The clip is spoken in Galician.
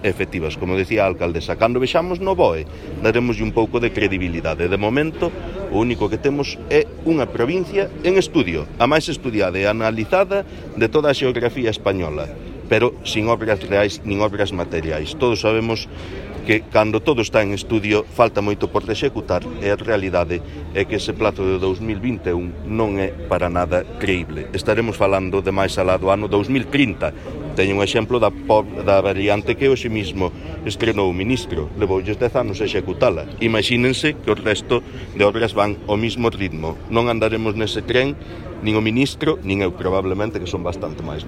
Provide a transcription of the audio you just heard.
efectivas. Como decía a alcaldesa, cando vexamos no BOE, daremoslle un pouco de credibilidade. De momento, o único que temos é unha provincia en estudio, a máis estudiada e analizada de toda a xeografía española, pero sin obras reais nin obras materiais. Todos sabemos que cando todo está en estudio falta moito por executar e a realidade é que ese plazo de 2021 non é para nada creíble. Estaremos falando de máis alá do ano 2030. Teño un exemplo da variante que hoxe mismo estrenou o ministro. Levoulles 10 anos a executala. Imagínense que o resto de obras van ao mismo ritmo. Non andaremos nese tren, nin o ministro, nin eu probablemente, que son bastante máis